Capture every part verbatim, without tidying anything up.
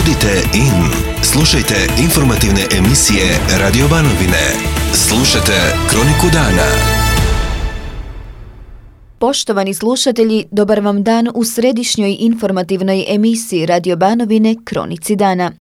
Budite in. Slušajte informativne emisije Radio Banovine. Slušajte Kroniku dana. Poštovani slušatelji, dobar vam dan u središnjoj informativnoj emisiji Radio Banovine Kronici dana.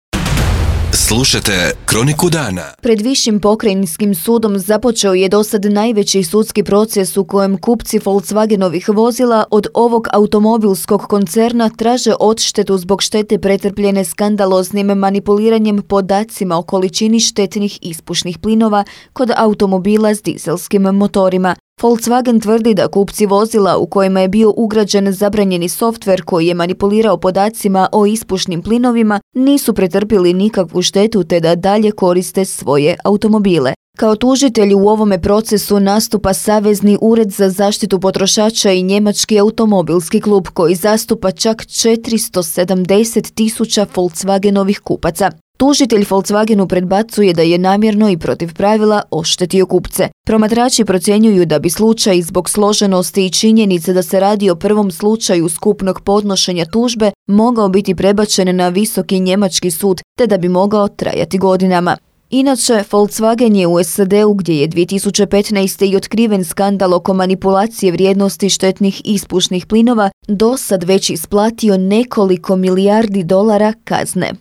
Slušajte Kroniku dana. Pred Višim pokrajinskim sudom započeo je dosad najveći sudski proces u kojem kupci Volkswagenovih vozila od ovog automobilskog koncerna traže odštetu zbog štete pretrpljene skandaloznim manipuliranjem podacima o količini štetnih ispušnih plinova kod automobila s dizelskim motorima. Volkswagen tvrdi da kupci vozila u kojima je bio ugrađen zabranjeni softver koji je manipulirao podacima o ispušnim plinovima nisu pretrpili nikakvu štetu te da dalje koriste svoje automobile. Kao tužitelj u ovome procesu nastupa Savezni ured za zaštitu potrošača i Njemački automobilski klub koji zastupa čak četiristo sedamdeset tisuća Volkswagenovih kupaca. Tužitelj Volkswagenu predbacuje da je namjerno i protiv pravila oštetio kupce. Promatrači procjenjuju da bi slučaj zbog složenosti i činjenice da se radi o prvom slučaju skupnog podnošenja tužbe mogao biti prebačen na visoki njemački sud te da bi mogao trajati godinama. Inače, Volkswagen je u S A D-u gdje je dvije tisuće petnaeste. i otkriven skandal oko manipulacije vrijednosti štetnih ispušnih plinova do sad već isplatio nekoliko milijardi dolara kazne.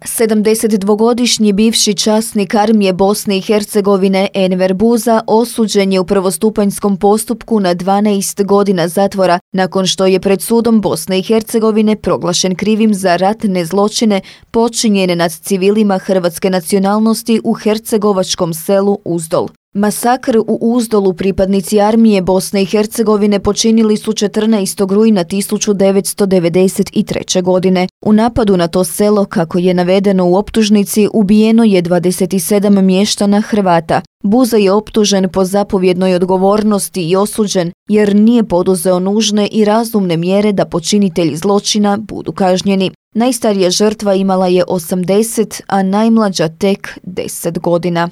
sedamdesetdvogodišnji bivši časnik armije Bosne i Hercegovine Enver Buza osuđen je u prvostupanjskom postupku na dvanaest godina zatvora nakon što je pred sudom Bosne i Hercegovine proglašen krivim za ratne zločine počinjene nad civilima hrvatske nacionalnosti u hercegovačkom selu Uzdol. Masakr u Uzdolu pripadnici armije Bosne i Hercegovine počinili su četrnaestog rujna tisuću devetsto devedeset treće. godine. U napadu na to selo, kako je navedeno u optužnici, ubijeno je dvadeset sedam mještana Hrvata. Buza je optužen po zapovjednoj odgovornosti i osuđen jer nije poduzeo nužne i razumne mjere da počinitelji zločina budu kažnjeni. Najstarija žrtva imala je osamdeset, a najmlađa tek deset godina.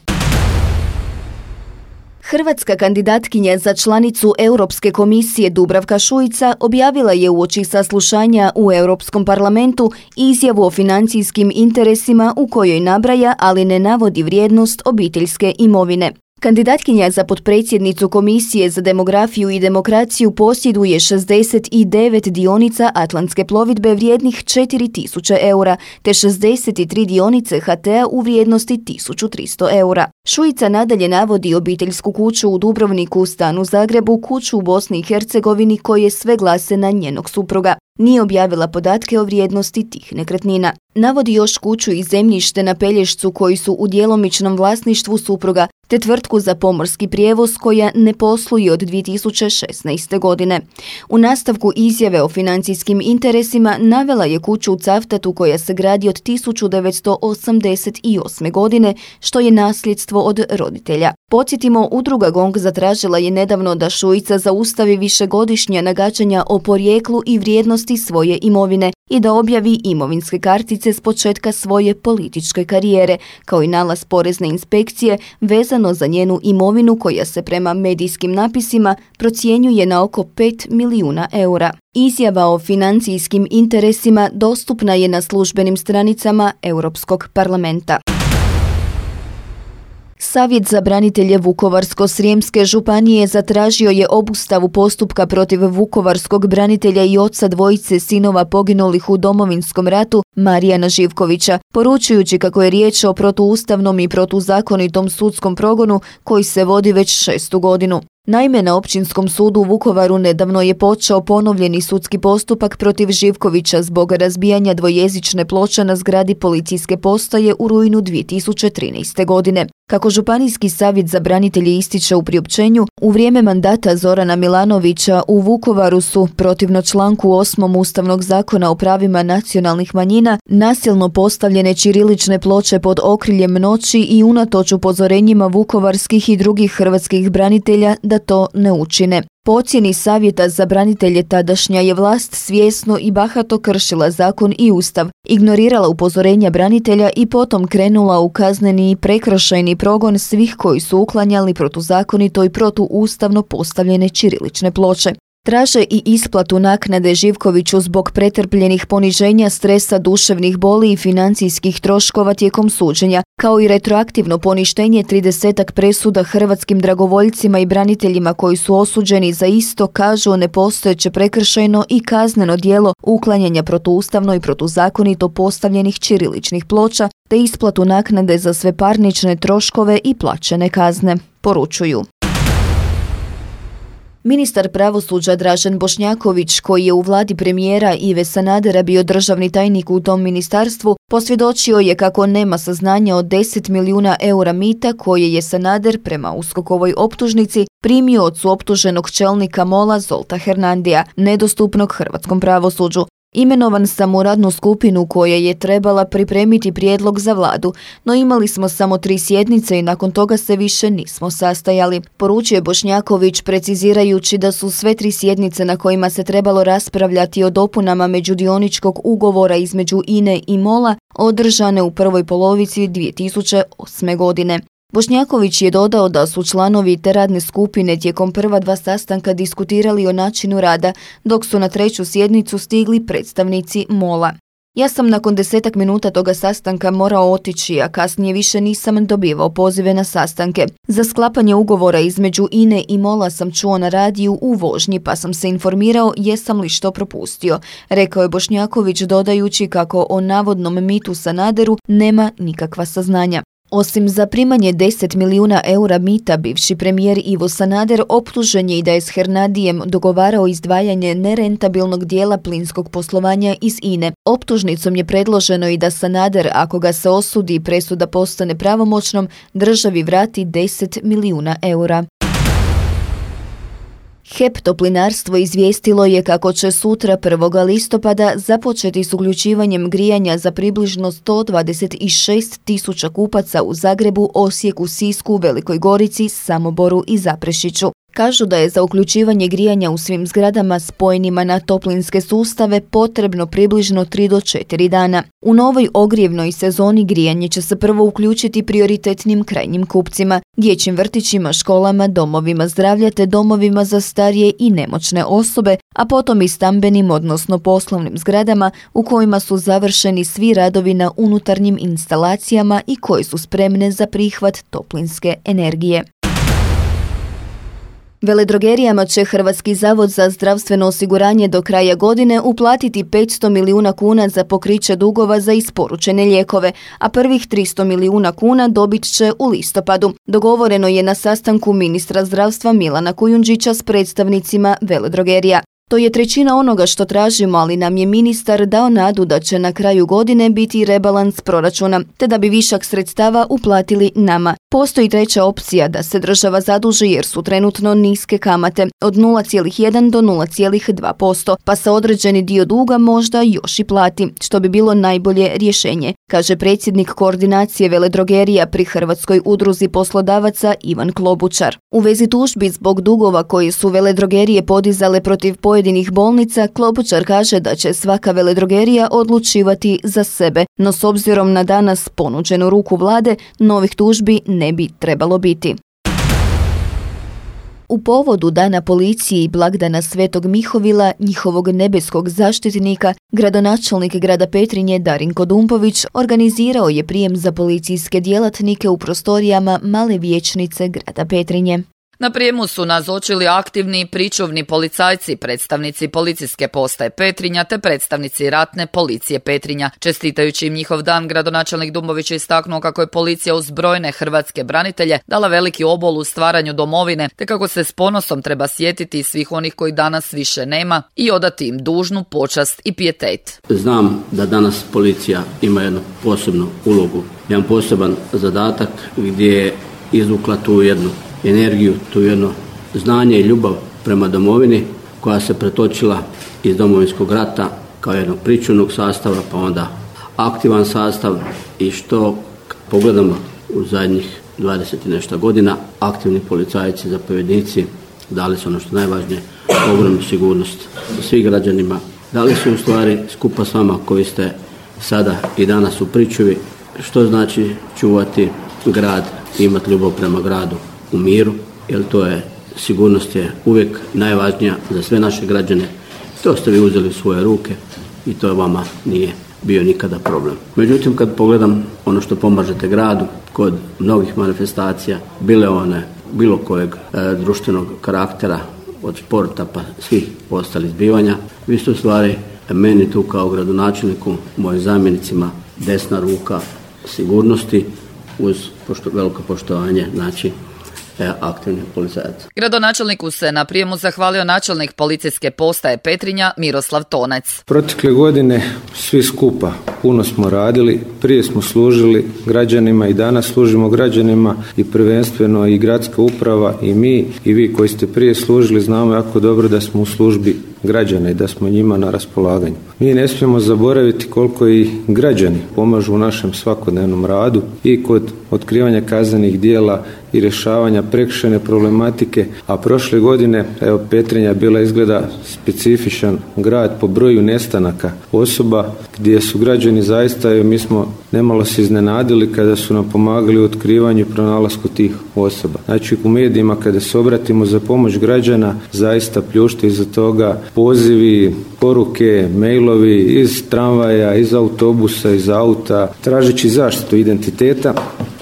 Hrvatska kandidatkinja za članicu Europske komisije Dubravka Šuica objavila je uoči saslušanja u Europskom parlamentu izjavu o financijskim interesima u kojoj nabraja, ali ne navodi vrijednost obiteljske imovine. Kandidatkinja za potpredsjednicu Komisije za demografiju i demokraciju posjeduje šezdeset devet dionica Atlantske plovidbe vrijednih četiri tisuće eura, te šezdeset tri dionice H T-a u vrijednosti tisuću tristo eura. Šuica nadalje navodi obiteljsku kuću u Dubrovniku, stan u Zagrebu, kuću u Bosni i Hercegovini koje sve glase na njenog supruga. Nije objavila podatke o vrijednosti tih nekretnina. Navodi još kuću i zemljište na Pelješcu koji su u djelomičnom vlasništvu supruga, te tvrtku za pomorski prijevoz koja ne posluje od dvije tisuće šesnaeste. godine. U nastavku izjave o financijskim interesima navela je kuću u Cavtatu koja se gradi od tisuću devetsto osamdeset osme. godine, što je nasljedstvo od roditelja. Podsjetimo, udruga GONG zatražila je nedavno da Šuica zaustavi višegodišnja nagađanja o porijeklu i vrijednosti svoje imovine i da objavi imovinske kartice s početka svoje političke karijere, kao i nalaz porezne inspekcije vezano za njenu imovinu koja se prema medijskim napisima procjenjuje na oko pet milijuna eura. Izjava o financijskim interesima dostupna je na službenim stranicama Europskog parlamenta. Savjet za branitelje Vukovarsko-srijemske županije zatražio je obustavu postupka protiv vukovarskog branitelja i oca dvojice sinova poginulih u Domovinskom ratu Marijana Živkovića, poručujući kako je riječ o protuustavnom i protuzakonitom sudskom progonu koji se vodi već šestu godinu. Naime, na Općinskom sudu u Vukovaru nedavno je počeo ponovljeni sudski postupak protiv Živkovića zbog razbijanja dvojezične ploče na zgradi policijske postaje u rujnu dvije tisuće trinaeste. godine. Kako Županijski savjet za branitelje ističe u priopćenju, u vrijeme mandata Zorana Milanovića u Vukovaru su, protivno članku osmom Ustavnog zakona o pravima nacionalnih manjina, nasilno postavljene ćirilične ploče pod okriljem noći i unatoč upozorenjima vukovarskih i drugih hrvatskih branitelja da to ne učine. Po ocjeni Savjeta za branitelje tadašnja je vlast svjesno i bahato kršila zakon i ustav, ignorirala upozorenja branitelja i potom krenula u kazneni i prekršajni progon svih koji su uklanjali protuzakonito i protuustavno postavljene ćirilične ploče. Traže i isplatu naknade Živkoviću zbog pretrpljenih poniženja, stresa, duševnih boli i financijskih troškova tijekom suđenja, kao i retroaktivno poništenje tridesetak presuda hrvatskim dragovoljcima i braniteljima koji su osuđeni za isto, kažu, nepostojeće prekršajno i kazneno djelo uklanjanja protuustavno i protuzakonito postavljenih ćiriličnih ploča, te isplatu naknade za sve parnične troškove i plaćene kazne, poručuju. Ministar pravosuđa Dražen Bošnjaković, koji je u vladi premijera Ive Sanadera bio državni tajnik u tom ministarstvu, posvjedočio je kako nema saznanja o deset milijuna eura mita koje je Sanader prema uskokovoj optužnici primio od suoptuženog čelnika MOL-a Zolta Hernandija, nedostupnog hrvatskom pravosuđu. Imenovan sam u radnu skupinu koja je trebala pripremiti prijedlog za vladu, no imali smo samo tri sjednice i nakon toga se više nismo sastajali, poručuje Bošnjaković, precizirajući da su sve tri sjednice na kojima se trebalo raspravljati o dopunama međudioničkog ugovora između I N E i MOL-a održane u prvoj polovici dvije tisuće osme. godine. Bošnjaković je dodao da su članovi te radne skupine tijekom prva dva sastanka diskutirali o načinu rada, dok su na treću sjednicu stigli predstavnici MOL-a. Ja sam nakon desetak minuta toga sastanka morao otići, a kasnije više nisam dobivao pozive na sastanke. Za sklapanje ugovora između I N E i MOL-a sam čuo na radiju u vožnji, pa sam se informirao jesam li što propustio, rekao je Bošnjaković, dodajući kako o navodnom mitu Sanaderu nema nikakva saznanja. Osim za primanje deset milijuna eura mita, bivši premijer Ivo Sanader optužen je i da je s Hernandijem dogovarao izdvajanje nerentabilnog dijela plinskog poslovanja iz I N E. Optužnicom je predloženo i da Sanader, ako ga se osudi i presuda postane pravomoćnom, državi vrati deset milijuna eura. H E P Toplinarstvo izvijestilo je kako će sutra prvog listopada započeti s uključivanjem grijanja za približno sto dvadeset šest tisuća kupaca u Zagrebu, Osijeku, Sisku, Velikoj Gorici, Samoboru i Zaprešiću. Kažu da je za uključivanje grijanja u svim zgradama spojenima na toplinske sustave potrebno približno tri do četiri dana. U novoj ogrijevnoj sezoni grijanje će se prvo uključiti prioritetnim krajnjim kupcima, dječjim vrtićima, školama, domovima zdravlja te domovima za starije i nemoćne osobe, a potom i stambenim odnosno poslovnim zgradama u kojima su završeni svi radovi na unutarnjim instalacijama i koje su spremne za prihvat toplinske energije. Veledrogerijama će Hrvatski zavod za zdravstveno osiguranje do kraja godine uplatiti petsto milijuna kuna za pokriće dugova za isporučene lijekove, a prvih tristo milijuna kuna dobit će u listopadu. Dogovoreno je na sastanku ministra zdravstva Milana Kujundžića s predstavnicima veledrogerija. To je trećina onoga što tražimo, ali nam je ministar dao nadu da će na kraju godine biti rebalans proračuna, te da bi višak sredstava uplatili nama. Postoji treća opcija da se država zaduži jer su trenutno niske kamate od nula zarez jedan do nula zarez dva posto, pa se određeni dio duga možda još i plati, što bi bilo najbolje rješenje, kaže predsjednik koordinacije veledrogerija pri Hrvatskoj udruzi poslodavaca Ivan Klobučar. U vezi tužbi zbog dugova koje su veledrogerije podizale protiv pojedinih bolnica, Klobučar kaže da će svaka veledrogerija odlučivati za sebe, no s obzirom na danas ponuđenu ruku vlade, novih tužbi ne bi trebalo biti. U povodu Dana policije i blagdana Svetog Mihovila, njihovog nebeskog zaštitnika, gradonačelnik grada Petrinje Darinko Dumpović organizirao je prijem za policijske djelatnike u prostorijama Male vijećnice grada Petrinje. Na prijemu su nazočili aktivni pričuvni policajci, predstavnici policijske postaje Petrinja te predstavnici ratne policije Petrinja. Čestitajući im njihov dan, gradonačelnik Dumpović je istaknuo kako je policija uz brojne hrvatske branitelje dala veliki obol u stvaranju domovine, te kako se s ponosom treba sjetiti svih onih koji danas više nema i odati im dužnu počast i pijetet. Znam da danas policija ima jednu posebnu ulogu, jedan poseban zadatak gdje je izvukla tu jednu energiju, tu jedno znanje i ljubav prema domovini koja se pretočila iz Domovinskog rata kao jednog pričuvnog sastava, pa onda aktivan sastav i što pogledamo u zadnjih dvadeset i nešto godina, aktivni policajci, zapovjednici dali su ono što najvažnije, ogromnu sigurnost svih građanima. Dali su u stvari skupa s vama koji ste sada i danas u pričuvi, što znači čuvati grad i imati ljubav prema gradu u miru, jer to je sigurnost je uvijek najvažnija za sve naše građane. To ste vi uzeli u svoje ruke i to vama nije bio nikada problem. Međutim, kad pogledam ono što pomažete gradu kod mnogih manifestacija, bile one bilo kojeg e, društvenog karaktera, od sporta pa svih ostalih zbivanja, vi ste u stvari meni tu kao gradonačelniku, mojim zamjenicima, desna ruka sigurnosti uz pošto, veliko poštovanje, znači aktivnih policajaca. Gradonačelniku se na prijemu zahvalio načelnik policijske postaje Petrinja Miroslav Tonec. Protekle godine svi skupa puno smo radili, prije smo služili građanima i danas služimo građanima i prvenstveno i gradska uprava i mi i vi koji ste prije služili znamo jako dobro da smo u službi građana i da smo njima na raspolaganju. Mi ne smijemo zaboraviti koliko i građani pomažu u našem svakodnevnom radu i kod otkrivanja kaznenih djela i rješavanja prekršajne problematike, a prošle godine, evo Petrinja bila izgleda specifičan grad po broju nestanaka osoba gdje su građani zaista, mi smo nemalo se iznenadili kada su nam pomagali u otkrivanju i pronalasku tih osoba. Znači u medijima kada se obratimo za pomoć građana zaista pljušte iza toga pozivi, poruke, mailovi iz tramvaja, iz autobusa, iz auta, tražeći zaštitu identiteta,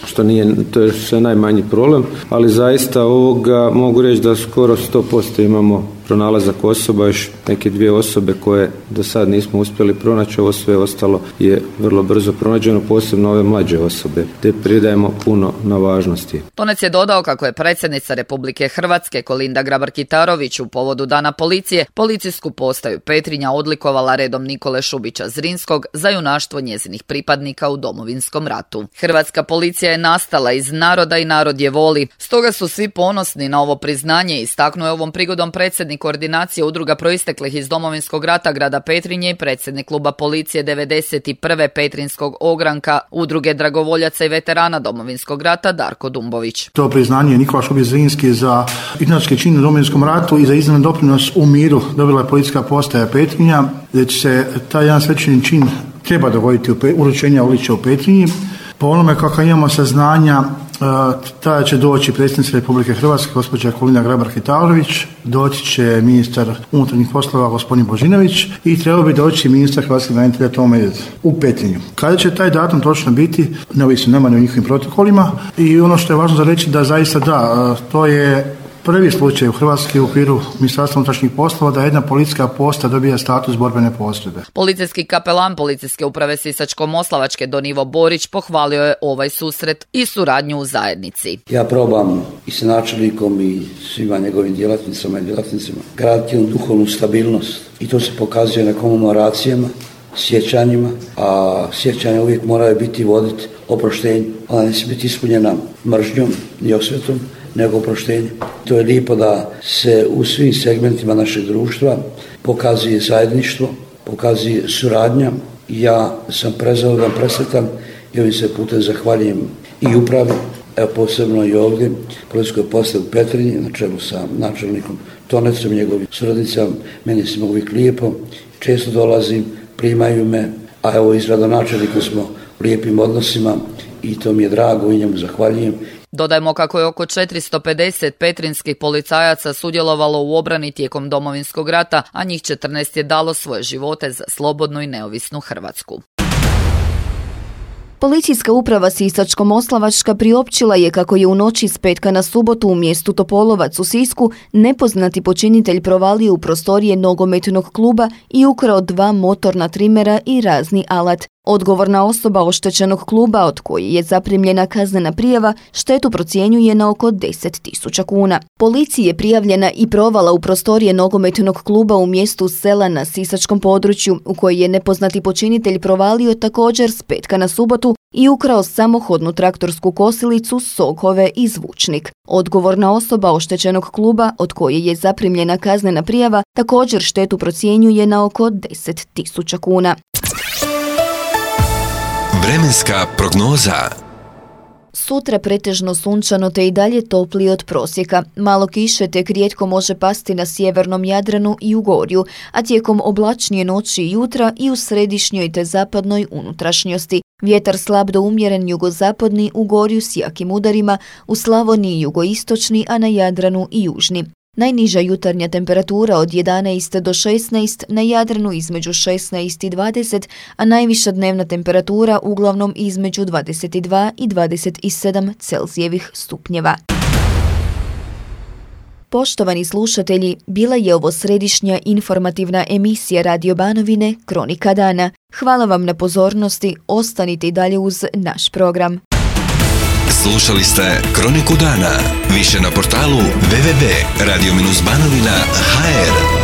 što nije, to je sve najmanji problem, ali zaista ovoga mogu reći da skoro sto posto imamo pronalazak osoba, još neke dvije osobe koje do sad nismo uspjeli pronaći, ovo sve ostalo je vrlo brzo pronađeno, posebno ove mlađe osobe, te pridajemo puno na važnosti. Tonec je dodao kako je predsjednica Republike Hrvatske Kolinda Grabar-Kitarović u povodu Dana policije policijsku postaju Petrinja odlikovala redom Nikole Šubića Zrinskog za junaštvo njezinih pripadnika u Domovinskom ratu. Hrvatska policija je nastala iz naroda i narod je voli, stoga su svi ponosni na ovo priznanje, istaknuo je ovom prigodom predsjednik koordinacije udruga proisteklih iz Domovinskog rata grada Petrinje i predsjednik kluba policije devedeset prve Petrinskog ogranka udruge dragovoljaca i veterana Domovinskog rata Darko Dumbović. To priznanje Nikola Šubić Zrinski za junački čin u Domovinskom ratu i za izniman doprinos u miru dobila je policijska postaja Petrinja, gdje će se taj jedan svečani čin treba dogoditi u pe, uručenja odličja u Petrinji. Po onome kako imamo saznanja, tada će doći predsjednica Republike Hrvatske, gospođa Kolinda Grabar-Kitarović, doći će ministar unutarnjih poslova, gospodin Božinović, i trebao bi doći ministar hrvatskih branitelja Tomo Medved u Petrinju. Kada će taj datum točno biti, ne ovisi nama ni o njihovim protokolima, i ono što je važno za reći da zaista da, to je prvi slučaj u Hrvatskoj u okviru Ministarstva unutrašnjih poslova da jedna policijska postaja dobija status borbene postrojbe. Policijski kapelan Policijske uprave Sisačko-moslavačke Don Ivo Borić pohvalio je ovaj susret i suradnju u zajednici. Ja probam i sa načelnikom i svima njegovim djelatnicama i djelatnicima graditi jednu duhovnu stabilnost i to se pokazuje na komemoracijama, sjećanjima, a sjećanja uvijek moraju biti voditi oproštenju. Ona ne smije biti ispunjena mržnjom i osvetom, nego oproštenje. To je lijepo da se u svim segmentima našeg društva pokazuje zajedništvo, pokazuje suradnja. Ja sam prezadovoljan, presretan i ovim se putem zahvaljujem i upravi, evo posebno i ovdje, policijskoj postaji u Petrinji, na čelu sa načelnikom Tonecom, njegovim suradnicama. Meni je svima uvijek lijepo, često dolazim, primaju me, a evo iz gradonačelnika smo u lijepim odnosima i to mi je drago i njemu zahvaljujem. Dodajmo kako je oko četiristo pedeset petrinskih policajaca sudjelovalo u obrani tijekom Domovinskog rata, a njih četrnaest je dalo svoje živote za slobodnu i neovisnu Hrvatsku. Policijska uprava Sisačko-moslavačka priopćila je kako je u noći s petka na subotu u mjestu Topolovac u Sisku nepoznati počinitelj provalio u prostorije nogometnog kluba i ukrao dva motorna trimera i razni alat. Odgovorna osoba oštećenog kluba, od koji je zaprimljena kaznena prijava, štetu procjenjuje na oko deset tisuća kuna. Policiji je prijavljena i provala u prostorije nogometnog kluba u mjestu Sela na sisačkom području, u koji je nepoznati počinitelj provalio također s petka na subotu i ukrao samohodnu traktorsku kosilicu, sokove i zvučnik. Odgovorna osoba oštećenog kluba, od koje je zaprimljena kaznena prijava, također štetu procjenjuje na oko deset tisuća kuna. Vremenska prognoza. Sutra pretežno sunčano te i dalje toplije od prosjeka. Malo kiše tek rijetko može pasti na sjevernom Jadranu i u Gorju, a tijekom oblačnije noći i jutra i u središnjoj te zapadnoj unutrašnjosti. Vjetar slab do umjeren jugozapadni u Gorju s jakim udarima, u Slavoniji jugoistočni, a na Jadranu i južni. Najniža jutarnja temperatura od jedanaest do šesnaest, na Jadranu između šesnaest i dvadeset, a najviša dnevna temperatura uglavnom između dvadeset dva i dvadeset sedam Celzijevih stupnjeva. Poštovani slušatelji, bila je ovo središnja informativna emisija Radio Banovine Kronika dana. Hvala vam na pozornosti, ostanite i dalje uz naš program. Slušali ste Kroniku dana. Više na portalu w w w tačka radio banovina tačka h r.